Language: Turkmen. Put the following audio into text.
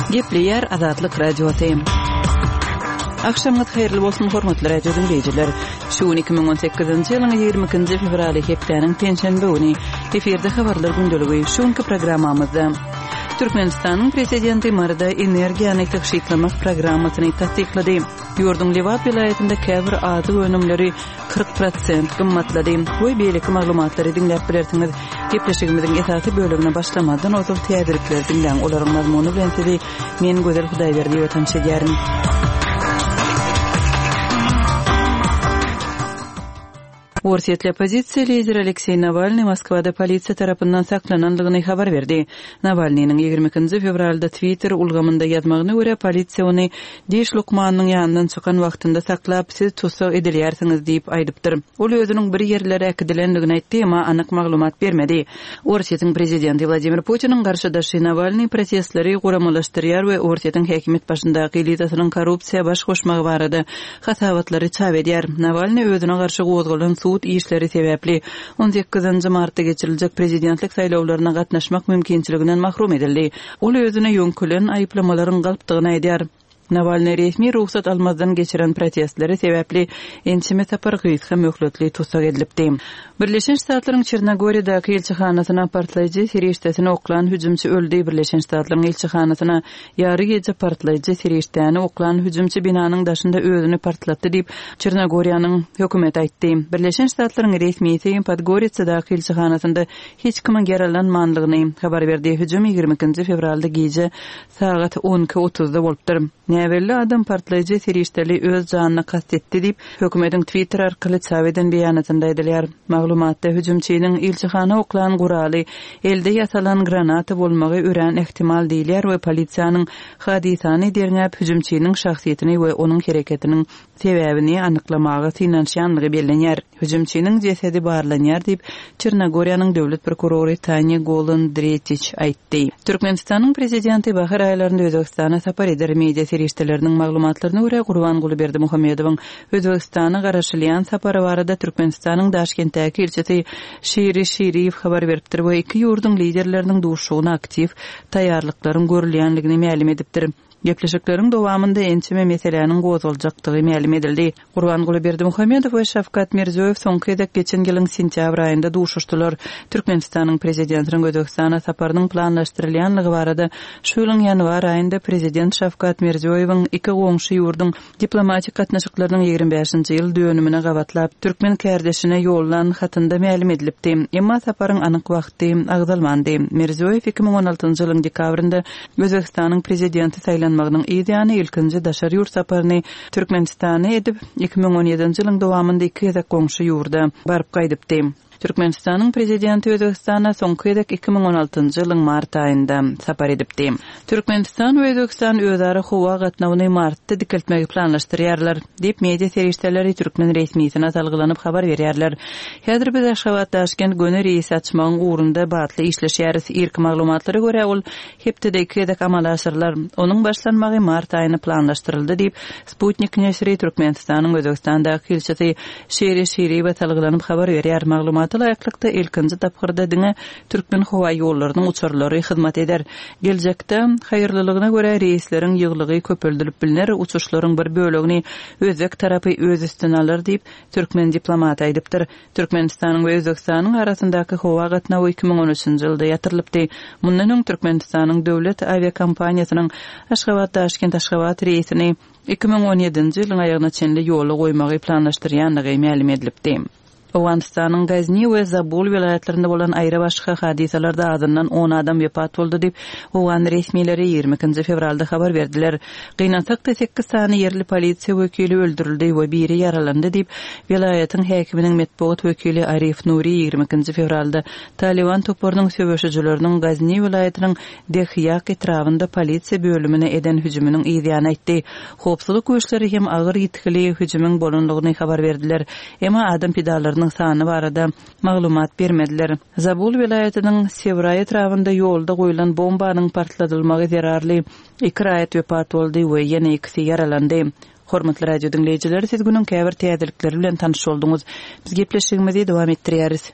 Gepleýär Azatlyk Radiosy. Agşamyňyz haýyrly bolsun, hormatly radio diňleýjiler. Şu gün 2018-nji ýylyň 22-nji fewraly hepdäniň penşenbe güni. Efirde habarlar gündeligi. Şu günki programmamyzda Türkmenistanyň prezidenti Maryda energiýany tygşytlamak programmasyny tassyklady. Ýurduň Lebap welaýatynda käbir azyk önümleri 40 prosent gymmatlady we beýleki maglumatlary diňläp bilersiňiz. Gepleşigimiziň esasy bölegine başlamazdan ozal täzelikleri diňläň. Olaryň mazmuny bilen sizi men Gözel Hudaýberdiýewa tanyş edýärin. Orsýetli oppozisiýa lideri Alekseý Nawalnyý Moskwada polisiýa tarapyndan saklanandygyny habar berdi. Nawalnynyň 22-nji fewralda Twitter ulgamynda ýazmagyna görä, polisiýa ony diş lukmanynyň ýanyndan çykan wagtynda saklap, siz tussag edilýärsiňiz diýip aýdypdyr. Ol özüniň bir ýerlere äkidilendigini aýtdy, emma anyk maglumat bermedi. Orsýetiň prezidenti Wladimir Putiniň garşydaşy Nawalnyý protestleri guramalaşdyrýar we Orsýetiň häkimiýet başyndaky elitasynyň korrupsiýa baş goşmagy barada hasabatlary çap edýär. Nawalnyý özüne garşy gozgalan sud işleri sebäpli on sekizinji martda geçiriljek prezidentlik saýlawlaryna gatnaşmak mümkinçiliginden mahrum edildi. Ol özüne ýöňkelen aýyplamalaryň galpdygyny aýdýar. Nawalnyý resmi rugsat almazdan geçiren protestleri sebäpli ençeme sapar gysga möhletli tussag edilipdi. Birleşen Ştatlaryň Çernogoriýadaky ilçihanasyna partlaýjy serişdesini oklan hüjümçi öldi Birleşen Ştatlaryň ilçihanasyna ýary gije partlaýjy serişdäni oklan hüjümçi binanyň daşynda özüni partlatdy diýip, Çernogoriýanyň hökümeti aýtdy. Birleşen Ştatlaryň resmisi Podgoritsadaky ilçihanasynda hiç kimiň ýaralanmanlygyny habar berdi. Hüjüm 22-nji fewralda gije Sagat on iki otuzda bolupdyr. Näbelli adam partlaýjy serişdeli öz janyna kast etdi diýip, hökümetiň Twitter arkaly çap eden beýanatynda aýdylýar. Maglumatda hüjümçiniň ilçihana oklan guraly elde ýasalan granata bolmagy örän ähtimal diýilýär we polisiýanyň hadysany derňäp, hüjümçiniň şahsyýetini we onuň hereketiniň sebäbini anyklamaga synanyşýanlygy bellenýär. Hüjümçiniň jesedi barlanýar diýip, Çernogoriýanyň döwlet prokurory Tanja Golan-Dretiç aýtdy. Türkmenistanyň Prezidenti bahar aýlarynda Özbegistana sapar eder. Media serişdeleriniň maglumatlaryna görä, Gurbanguly Berdimuhamedowyň Özbegistana garaşylýan sapary barada Türkmenistanyň Daşkentdäki ilçisi Şiri Şiriýew habar beripdir we iki ýurduň liderleriniň duşuşygyna aktiw taýýarlyklaryň görülýänligini mälim edipdir. Gepleşikleriň dowamynda ençeme meseläniň gozgaljakdygy mälim edildi. Gurbanguly Berdimuhamedow we Şawkat Mirziýoýew soňky gezek geçen ýylyň sentýabr aýynda duşuşdylar. Türkmenistanyň Prezidentiniň Özbegistana saparynyň planlaşdyrylýanlygy barada şu ýylyň ýanwar aýynda Prezident Şawkat Mirziýoýewiň iki goňşy ýurduň Diplomatik gatnaşyklarynyň 25-nji ýyl dönümine gabatlap, türkmen kärdeşine ýollan hatynda mälim edilipdi. Emma saparyň anyk wagty agzalmandy. Mirziýoýew 2016-njy ýylyň dekabrynda Özbegistanyň Prezidenti saýlanmagynyň yz ýany ilkinji daşary ýurt saparyny Türkmenistana edip, 2017-nji ýylyň dowamynda iki gezek goňşy ýurda baryp gaýdypdy. Türkmenistanyň Prezidenti Özbegistana soňky gezek 2016-njy ýylyň mart aýynda sapar edipdi. Türkmenistan we Özbegistan özara howa gatnawyny martda dikeltmegi planlaşdyrýarlar, diýip, media serişdeleri türkmen resmisine salgylanyp habar berýärler. Häzir biz Aşgabat-Daşkent göni reýsi açmagyň ugrunda batly işleşýäris. Irki maglumatlara görä, ol hepdede iki gezek amala aşyrylar. Onuň başlanmagy mart aýyna planlaşdyryldy diýip, Sputnik neşiri Türkmenistanyň Özbegistandaky ilçisi Şiri Şiriýewe salgylanyp habar berýär. Maglumata laýyklykda, ilkinji tapgyrda diňe Türkmenhowaýollarynyň uçarlary hyzmat eder. Geljekde, haýyrlylygyna görä, reýsleriň ýygylygy köpeldilip bilner, uçuşlaryň bir bölegini özbek tarapy öz üstüne alar diýip, türkmen diplomaty aýdypdyr. Türkmenistanyň we Özbegistanyň arasyndaky howa gatnawy 2013-nji ýylda ýatyrylypdy. Mundan öň Türkmenistanyň döwlet awiakompaniýasynyň Aşgabat-Daşkent-Aşgabat reýsini 2017-nji ýylyň aýagyna çenli ýola goýmagy planlaşdyrýandygy mälim edilipdi. Owganystanyň Gazni we Zabul welaýatlarynda bolan aýrybaşga hadysalarda azyndan on adam wepat boldy diýip, owgan resmileri 22-nji fewralda habar berdiler. Gynansak-da, sekiz sany ýerli polisiýa wekili öldürildi we biri ýaralandy diýip, welaýatyň häkiminiň metbugat wekili Arif Nuri 22-nji fewralda Talyban toparynyň söweşijileriniň Gazni welaýatynyň Dehýak etrabynda polisiýa bölümine eden hüjüminiň yzýany aýtdy. Howpsuzlyk güýçleri hem agyr ýitgili hüjümiň bolandygyny habar berdiler. Emma adam pidalarynyň sany barada maglumat bermediler. Zabul welaýatynyň Sewraý etrabynda ýolda goýlan bombanyň partladylmagy zerarly Iki raýat wepat boldy we ýene ikisi ýaralandy. Hormatly radio diňleýjiler, siz günüň käbir täzelikleri bilen tanyş bolduňyz. Biz gepleşigimizi dowam etdirýäris.